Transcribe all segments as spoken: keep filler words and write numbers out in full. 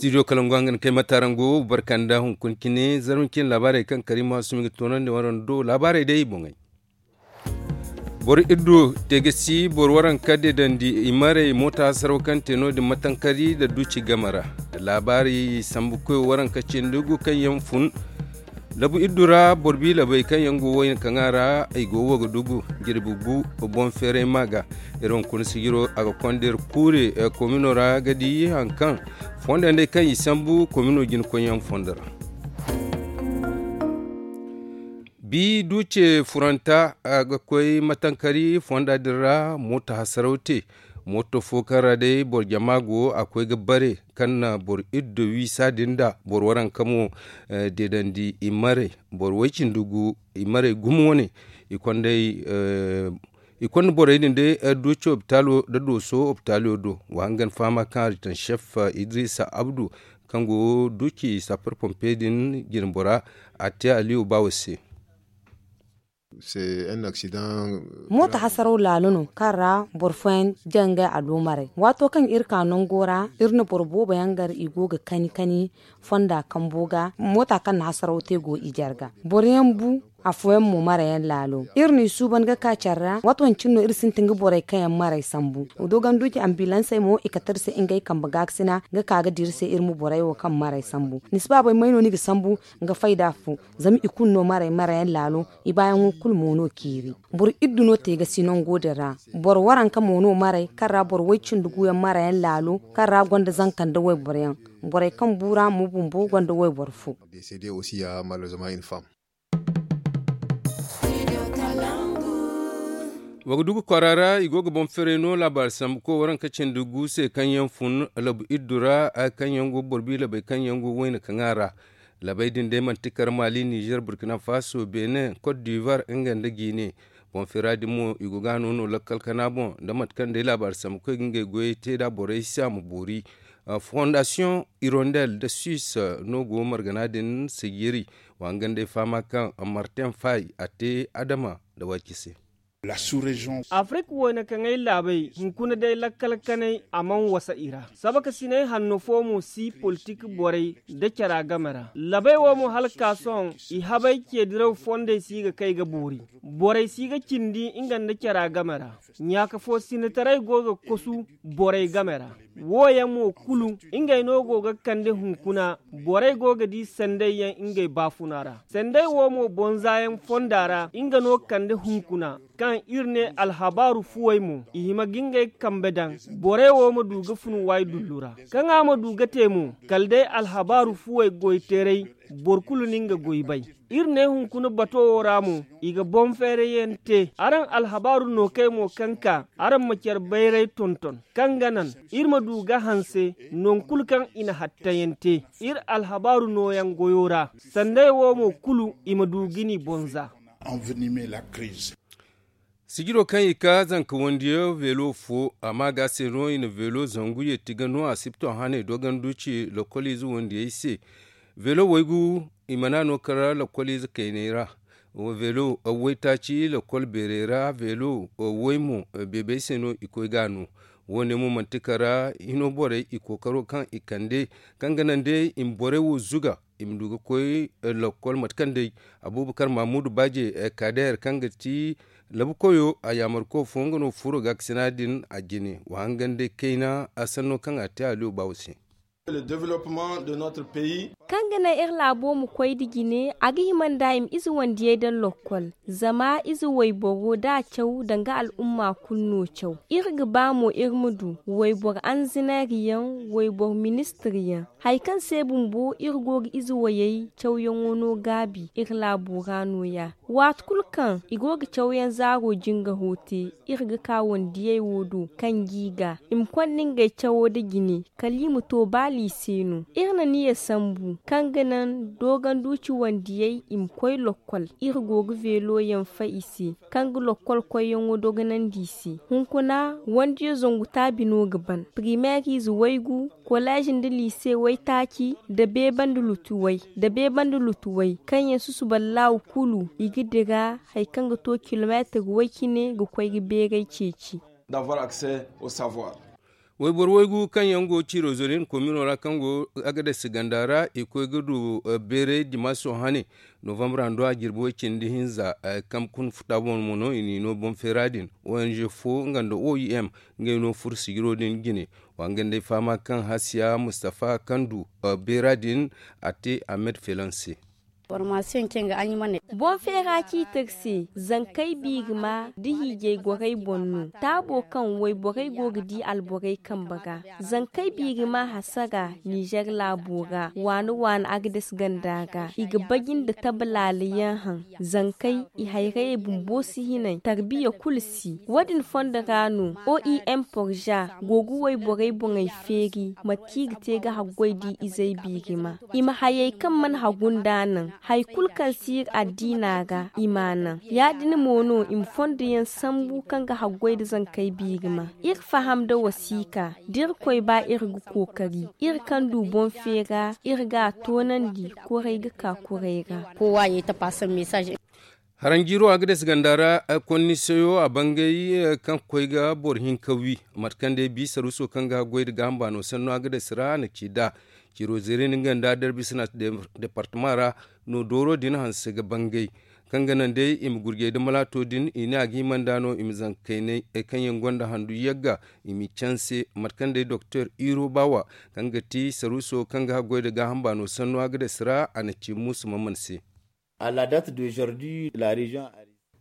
Studio kalangu hangan kay matarango barkanda hunkuna cine zarma cine laabaarey kaŋ kariima sumi ga toonandi waraŋ do laabaarey day boŋey. Boro iddu te ga si boro waranka deedandi i marey moota hasaraw kaŋ te no- din matankari nda duuci game ra. Laabaari sambu koyo waranka cindi gu kaŋ yaŋ fun labu iddu ra boro bi labey kaŋ yaŋ go wayna kaŋ a ra i go wo ga dugu jirbi gu boŋ feeray ma ga. Iri hunkuna sijiro a ga konda iri kuure komino ra ga di hari kaŋ fondo yaŋ day kaŋ i sambu komino jina koyyaŋ fondo ra. Bi duuce furanta a ga koy matankari fonda din ra mooto hasaraw te. Mooto fo kaŋ ra day boro jama go a koy ga bare kaŋ na boro iddo wiisa din nda boro waranka mo deedandi i marey boro way-cindi gu i marey gumo wane. I konda borey din day duuce opitaalo nda dooso opitaalo do wa hangan fahama kaŋ a ga taŋ sef idrisa abdu kaŋ go duuci sapar pompe din jine bora a te aliyo baawo se. Mooto hasaraw laalo no kaŋ ra boro fooyaŋ jaŋ ngey aloomarey waato kaŋ iri ka nango ra iri na boro boobo yaŋ gar i go ga kani kani fonda kambo ga moota kaŋ na hasaraw te go i jarga boroyaŋ bu. Afooyaŋ mo marayaŋ laalo iri n'i suuban ga ka care ra waato wancine no iri sintin ga borey kaŋ yaŋ maray sambu. Dooganduuci ambilansey mo i kate iri se ngey kambe gaakasina ga ka ga dira iri se iri ma borey wo kaŋ maray sambu. Ni si baabay may no ni ga sambu ga fayda fo zama i kulu no maray marayaŋ laalo. I baayaŋo kulu mo no ciiri boro iddu no te ga si nango din ra. Boro waranka mo no maray kaŋ ra boro way-cindi guyaŋ marayaŋ laalo kaŋ ra gonda zanka nda wayboroyaŋ. Borey kaŋ bu ra mo bumbo gonda wayboro fo. Wa ga dugu kwaara ra i go ga boŋ feeray no laabaari sambu koy waranka cindi gu se kaŋ yaŋ fun labu iddu ra kaŋ yaŋ go boro bi labey kaŋ yaŋ go wayna kaŋ a ra. Labey din day manti kar maali nizer burkina faso benin kot divar nga nda gine. Boŋ feera din mo i go ga a no no lakkal kana boŋ nda mate kaŋ day laabaari sambu koy ga ngey goyey te nd'a borey se a ma boori. Fondasiyoŋ irondel nda suis no go margana din sajiri. Wa nga nda ay fahama kaŋ martin fay a te adama nda waci se. Afirika wayna kaŋ ay laabey hunkuna day lakkal kanay a mana wasa i ra. Sabakasinay hanno fo mo si politik borey nda cara game ra labey wo mo hala ka sohõ i habay ceediraw fondey si ga kay ga boori. Borey si ga cindi nga nda cara game ra. Ɲaaka fo sinataray go ga kosu borey game ra. Wo yaŋ mo kulu ngey no go ga kande hunkuna. Borey go ga di sanday yaŋ ngey baafuna ra sanday wo mo bonza yaŋ fonda ra nga no kande hunkuna. Kaŋ iri ne alhabaaru fuwey mo i hima ga ngey kambe daŋ. Borey wo ma du ga fun waydullu ra kaŋ a ma du ga te mo kala day alhabaaru fuwey goyteeray. Boro kulu na nga goy bay. Iri ne hunkuna bato wo ra mo i ga boŋ feerayaŋ te araŋ alhabaaru nookey mo kaŋ ka araŋ ma care bayray tonton kaŋ ga naŋ iri ma du ga hanse. Nangu kulu kaŋ i na hattayaŋ te iri alhabaaru nooyaŋ goyo ra sanday wo mo kulu i ma du ga ni bonza. Sijiro kaŋ i ka zanka wandiyo veelo fo a ma ga se no i na veelo zangu yeeti ga no asibto haney doganduci lokoliize wandiyey se. Veelo waygu i mana no kara lokoliize kayney ra. Veelo waytaaci lokol beerey ra veelo way mo beebey se no i koy ga no. Wo- ne mo manti kara hino borey i kookaro kaŋ i kande kaŋ ga naŋ day i ma borey wo zuga i ma du ga koy lokol mate kaŋ day abuubakar mahamudu baaje kaadeer kaŋ ga ti labu koyo a yaamarko fo nga no furo gaakasina din a jine wa hangan day kayna a sanno kaŋ a te aliyo baawo se. Kaŋ ga naŋ iri laabo ma koy nda jine a ga hima nda i ma ize wandiyey daŋ lokkol. Zama ize wayboro da a caw danga al'umma kulu no caw. Iri ga ba mo iri ma du wayboro anzinariyaŋ wayboro ministiryaŋ. Hari kaŋ se bumbo iri go ga ize wayey cawyaŋo no gaabi iri laabo ra nooya. Waati kulu kaŋ i go ga cawyaŋ zaaro jingaro te iri ga ka wandiyey wo do kaŋ g'i ga i ma konda ngey cawo nda jine kala i ma to ba liise no. Iri na niya sambu kaŋ ga naŋ dooganduuci wandiyey i ma koy lokkol. Iri go ga veelo yaŋ fay i se kaŋ ga lokkol koyyaŋo dogonandi i se. Hunkuna wandiyo zangu taabi no ga ban primeeriize waygu koleez nda liise waytaaci nda beebandi lutu way nda beebandi lutu way kaŋ yaŋ susuba laaw kulu i ga dira hari kaŋ ga to kilomeetir way cine ga koy ga beeray ceeci. Wayboro waygu kaŋ yaŋ go ciiro zoriyan komino ra kaŋ go agades ganda ra i koy ga du beeray dimaaso hane novambar hando a jirbi way cindi hinza. Kaŋ kun futa boŋ mo no i n'i no boŋ feera din, ong fo nga nda oim ngey no furo sijiro din jine. Wa nga nd'ay fahama kaŋ hasiya mustafa kaŋ du beera din a te a met felanse. Boŋ feera ciiti iri se zankey biirima da hiijay gorey boŋ no taabo kaŋ wayborey go ga di alborey kambe ga. Zankey biirima hasara nizer laabo ra waani waani agades ganda ra i ga baji nda tabalaala yaŋ haŋ. Zankey i hayrayey bumbo si hinay tarbiya kulu si wo- din fondo ra no oim porza go ga wayborey boŋey feeri mate kaŋ i ga te ga haggoy da izey biirima. I ma hayey kaŋ mana hagu nd'a naŋ hari kulu kaŋ si iri addiina ra i m'a naŋ. Ya- din mo no i ma fondo yaŋ sambu kaŋ ga haggoy nda zankey biirima. Iri faham nda wasiika da irkoy ba iri ga kookari iri kaŋ du boŋ feera iri ga a toonandi. Kuray ga ka kuray ra. Haranjiiro agades ganda ra, konni sayo a bangay kaŋ ga koy ga boro hinka wi mate kaŋ day bi saruuso kaŋ ga goy nda gaaham baano sanno agades ra a na ci nd'a. Ciiro zeeri no nga nda derbisina departama ra no dooro din hanse ga bangay kaŋ ga naŋ day i ma gurjay nda malaato din i ne a ga hima nd'a no i ma zanka kaynay kaŋ yaŋ gonda handu yagga i m'i canse. Mate kaŋ day doktor iro baawa kaŋ ga ti saruuso kaŋ ga goy nda gaaham baano sanno agades ra a na ci muusu mamman se.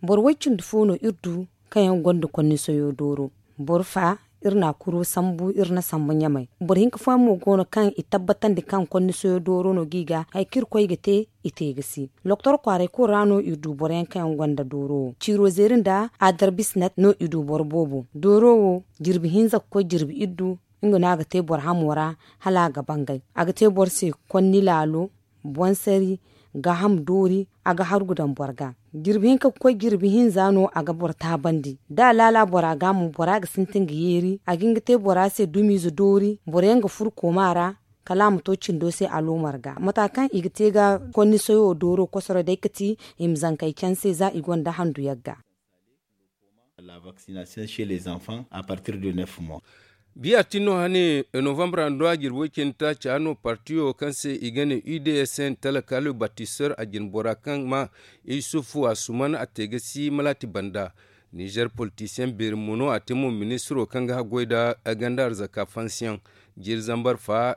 Boro way cindi fo no iri du kaŋ yaŋ gonda konni soyo dooro. Boro fa iri n'a kuro sambu iri na sambu ɲamay. Boro hinka fooyaŋ mo go no kaŋ i tabbatandi kaŋ konni soyo dooro no g'i ga hari kaŋ iri koy ga te i te ga si. Loktor kwaaray kulu ra no iri du boro yaŋ kaŋ yaŋ gonda dooro wo ciiro zeeri nda adarbisinat no i du boro boobo. Dooro wo jirbi hinza ga koy jirbi iddu nga no a ga te boro hamo ra hala a ga bangay. A ga te boro se konni laalo, boŋ sari, gaaham doori, a ga hargu daŋ boro ga. Jirbi hinka ga koy jirbi hinza no a ga boro taabandi da a laala bora ga mo bora ga sintin ga yeeri a ga hin ga te bora se dumiize doori boro yaŋ ga furu kooma ra. Kala a ma to cindo se aloomar ga mata kaŋ i ga te ga konni soyo dooro kosoro day ga ti i ma zankey canse za i gonda handu yagga. Biya tin no hane novambar hando a jirbi way cindi taaca no partiyo kaŋ se i ga ne u d s n talakalo batisor a jine bora kaŋ ma isufu a suman a te ga si malaati banda. Nizer politisiyeŋ beeri mo no a te mo ministiro kaŋ ga haggoy nda ganda arzaka fansiyaŋ jiiri zambar fa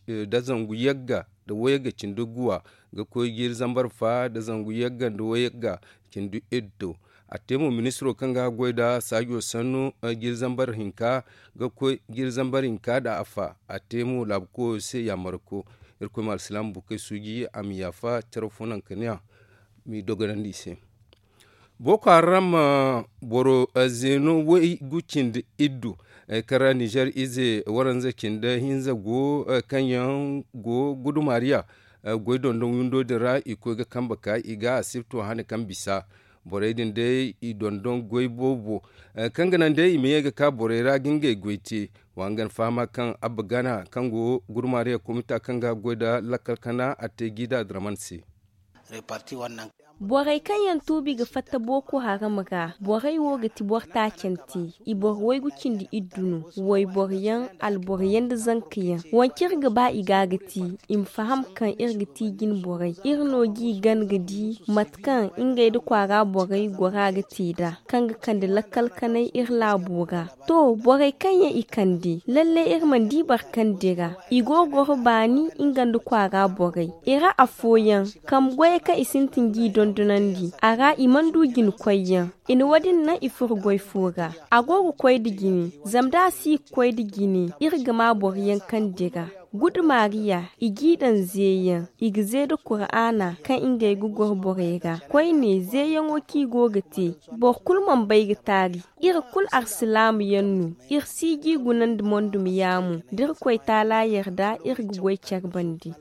nda zangu yagga nda wayagga cindi guwa ga koy jiiri zambar fa nda zangu yagga nda wayagga cindi iddo. A te mo ministiro kaŋ ga goy nda saajo sannu jiiri zambar hinka ga koy jiiri zambar hinka nda afa a te mo laabu koyo se yaamarko. Irkoy ma alsilaama bukey suuji a ma yaafa care fo naŋ ka ne a m'i dogonandi i se. Boko haram boro zeeno way gu cindi iddu kaŋ ra nizer ize waranza cindi hinza go kaŋ yaŋ go gudumariya goy dondon windo din ra i koy ga kambe ka i ga asibto hane kaŋ bisa. Borey din day i dondon goy boobo kaŋ ga naŋ day i ma ye ga ka borey ra ga ngey goy te. Wa nga ni fahama kaŋ abba gana kaŋ go gudumariya komita kaŋ ga goy nda lakkal kana a te jiida draman se. Borey kaŋ yaŋ tuubi ga fatta boko haram ra borey wo ga ti boro taacante. I boro waygu cindi iddu no wayboro yaŋ alboro yaŋ nda zanka yaŋ. Waŋ kaŋ iri ga ba i ga ga ti i ma faham kaŋ iri ga ti jine borey iri no g'i gana ga di mate kaŋ ngey nda kwaara borey gora ga te nd'a kaŋ ga kande lakkal kanay iri laabo ra. To borey kaŋ yaŋ i kande lalle iri mana di boro kaŋ dira i go ga goro baani nga nda kwaara borey i ra afooyaŋ kambe goyey kaŋ i sintin g'i dondonandi a ra i mana du jina koyyaŋ. I na wo- din naŋ i furo goy fo ra a go ga koy nda jine zama da a si ga koy nda jine iri ga ma boro yaŋ kaŋ dira. Gudu maariya i g'i daŋ zeeyaŋ i ga zee nda kuraana kaŋ ngey ga goro borey ra koyne zeeyaŋo kaŋ i go ga te. Boro kulu mana bay ga taari iri kulu alsilaama yaŋ no. Iri si g'i gunandi mondum yaamo da irkoy taala yarda iri ga goy care bande.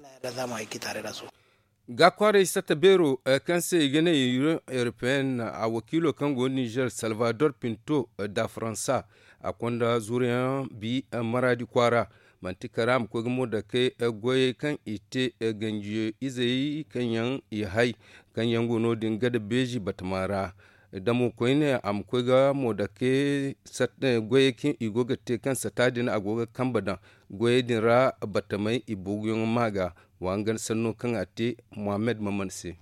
Gaakwaaray satta beero kaŋ se i ga ne union européenne a wakiilo kaŋ go nizer salvador pinto da faransa a konda zuruyaŋ bi maraadi kwaara. Manti kara a ma koy ga mo dakey goyey kaŋ i te ganji izey kaŋ yaŋ i hay kaŋ yaŋ go no- din gada beezi batama ra. Damo koyne a ma koy ga mo dake goyey kaŋ i go ga te kaŋ sata din a go ga kambe daŋ goyey din ra. Batamey i buguyaŋo ma ga wa nga sanno kaŋ a te muhammad maman se.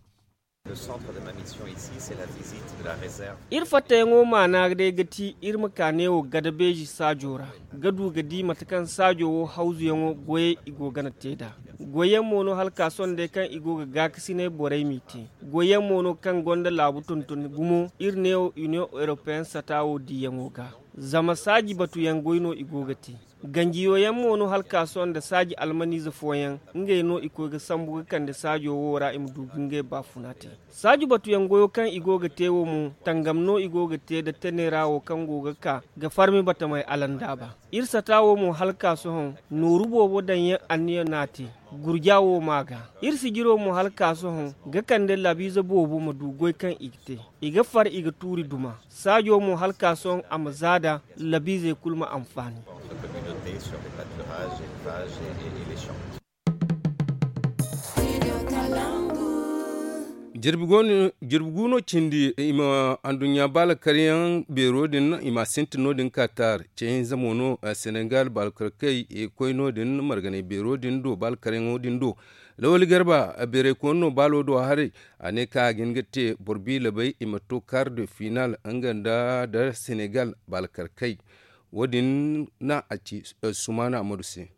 Iri fattayaŋo maana day ga ti iri ma ka neewo gada beeji saajo ra ga du ga di mate kaŋ saajo wo hawzuyaŋo goyey i go gana te nd'a. Goyyaŋ mo no hala ka sohõ day kaŋ i go ga gaakasinay borey m'i te. Goyyaŋ mo no kaŋ gonda laabu tonton gumo iri neewo union european sata wo diyaŋo ga. Zama saaji batuyaŋ goy no i go ga te. Ganjiyo yaŋ mo no hala ka sohõ nda saaji almaniize fooyaŋ ngey no i koy ga sambu ga kande saajo wo ra i ma du ga ngey baafuna te. Saaji batuyaŋ goyo kaŋ i go ga te wo mo tangam no i go ga te nda tenera wo kaŋ go ga ka ga farmi batamey alandaaba. Iri sata wo mo hala ka sohõ nooru boobo daŋyaŋ anniya no a te. Gurja wo ma ga iri sijiro mo hala ka sohõ ga kande labiize boobo ma du goy kaŋ i ga te. I ga far i ga tuuri duma saajo mo hala ka sohõ a ma zaada. Labiizey kulu ma anfaani. Jirbi gu no cindi i ma anduɲɲa baalakaryaŋ beero din i ma a sintin no- din katar ceehinza mo no. Senegal baalakarkey koy no- din marganay beero din do baalakaryaŋo din do. Lawali garba beeray koyne no baalo do haray. A ne kaŋ a ga hin ga te boro biilabay i ma to kar de final nga nda da senegal baalakarkey. Wo- din na a ci sumaana amadu se.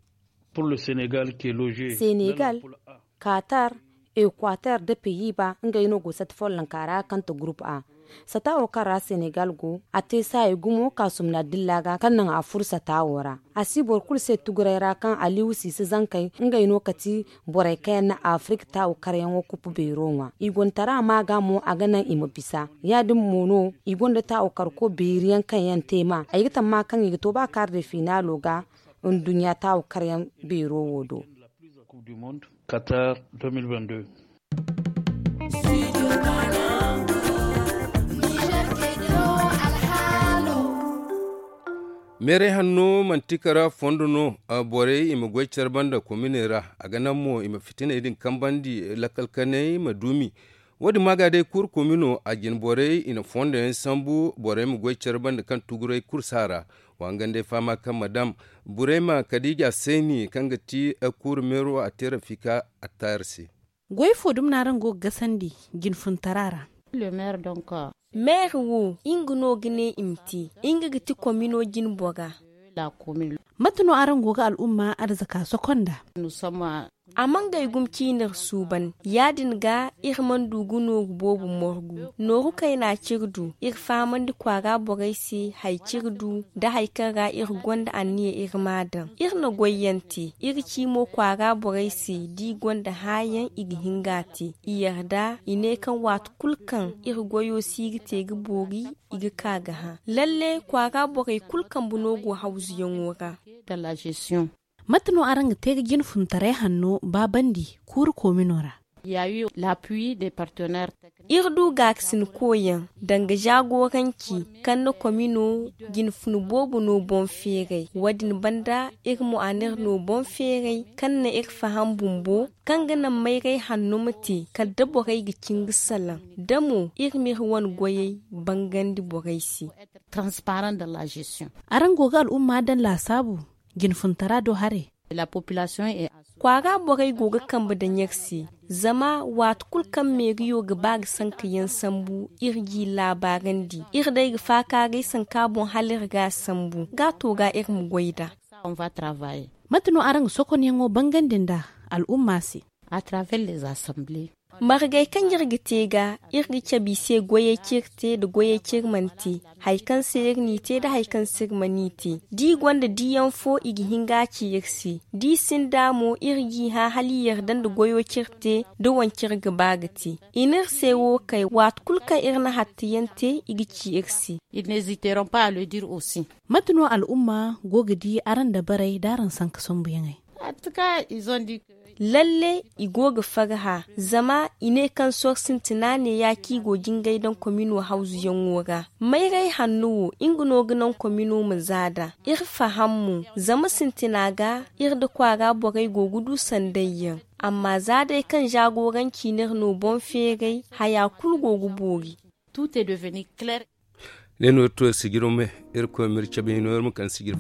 Senegal, katar, ekwater nda peyiba ngey no go sata follonka ra kaŋ ta gurup a. Sata wo kaŋ ra senegal go a te saayi gumo ka sumna dilla ga kaŋ naŋ a furo sata wo ra. A si boro kulu se tuguray ra kaŋ aliwu siise zankey ngey no ka ti borey kaŋ yaŋ na afirik taawu karyaŋo kupu beero ŋwa i gontara ma ga mo a ga naŋ i ma bisa. Ya- din mo no i gonda taawu karko beeri yaŋ kaŋ yaŋ te ma ay ga tamma kaŋ i ga to ba kaari de finaalo ga. Nduɲɲa taawu karyaŋ beero wo do. Meeray hanno manti kara fondo no. Borey i ma goy care banda kominey ra a ga naŋ mo i ma fitiney din kambandi lakkal kaney ma duumi. Wo- din maaga day kuuru komino a jine borey i na fondo yaŋ sambu borey ma goy care banda kaŋ tuguray kulu si a ra. Wa nga nd'ay fahama kaŋ ma daŋ burayma kadiija seeni kaŋ ga ti kuuru meero a te rafika attaari se. Goy fo dumi no araŋ go ga gasandi jinfuntara ra? Meeri wo nga no ga ne i ma te. Nga ga ti komino jine bora. Mate no araŋ go ga al'umma arzaka soko nd'a? A mana gay gumo ciine iri suuban ya- din ga iri mana du ga nooru boobo morgu. Nooru kayna ci iri du iri fahamandi kwaara borey se hari ci iri du nda hari kaŋ ra iri gonda anniya iri m'a daŋ. Iri na goyyaŋ te iri ci mo kwaara borey se da i gonda hããyaŋ i ga hin ga a te. I yarda i ne kaŋ waati kulu kaŋ iri goyo si ga te ga boori i ga ka ga hã. Lalle kwaara borey kulu kambe no go hawzuyaŋo ra. Mate no araŋ ga te ga jinfuntaray hanno baabandi kuuru koomino ra? Iri du gaakasinkoyaŋ danga zaagoranci kaŋ na koomino jinfun boobo no boŋ feeray. Wo- din banda iri mo a n'iri no boŋ feeray kaŋ na iri faham bumbo kaŋ ga naŋ mayray hanno ma te kala da borey ga cin ga salaŋ da mo iri m'iri wane goyey bangandi borey se. Araŋ go ga al'umma daŋ laasaabu jinfuntara do haray? Kwaara borey go ga kambe daŋ iri se. Zama waati kulu kaŋ meeriyo ga ba ga sanka yaŋ sambu iri g'i laabaarandi iri day ga faakaaray sanka boŋ hala iri ga a sambu ga a to ga iri ma goy nd'a. Mate no araŋ ga sokonyaŋo bangandi nd'a al'umma se? Margey kaŋ iri ga te ga iri ga cabe i se goyey kaŋ iri te nda goyey kaŋ iri mana te. Hari kaŋ se iri n'i te nda hari kaŋ se iri mana i te da i gonda diyaŋ fo i ga hin ga a ci iri se da i sinda mo iri g'i hã hala i yarda nda goyo kaŋ iri te nda wance iri ga ba ga te. I n'iri se wo kay waati kulu kaŋ iri na hattuyaŋ te i ga ci iri se. Mate no al'umma go ga di araŋ dabarey da araŋ sanka sambuyaŋey? Lalle i go ga farhã zama i ne kaŋ soro sintina ne ya kaŋ i go jingay daŋ komino hawzuyaŋo ra. Mayray hanno wo nga no ga naŋ komino ma za nd'a. Iri faham mo zama sintina ga iri nda kwaara borey go ga du sanday yaŋ. Amma za day kaŋ zaagoranci n'iri no boŋ feeray haya kulu go ga boori. Tout est devenu clair. Ne no to sijiro me, irkoy mir cabe hino ir ma kan sijir.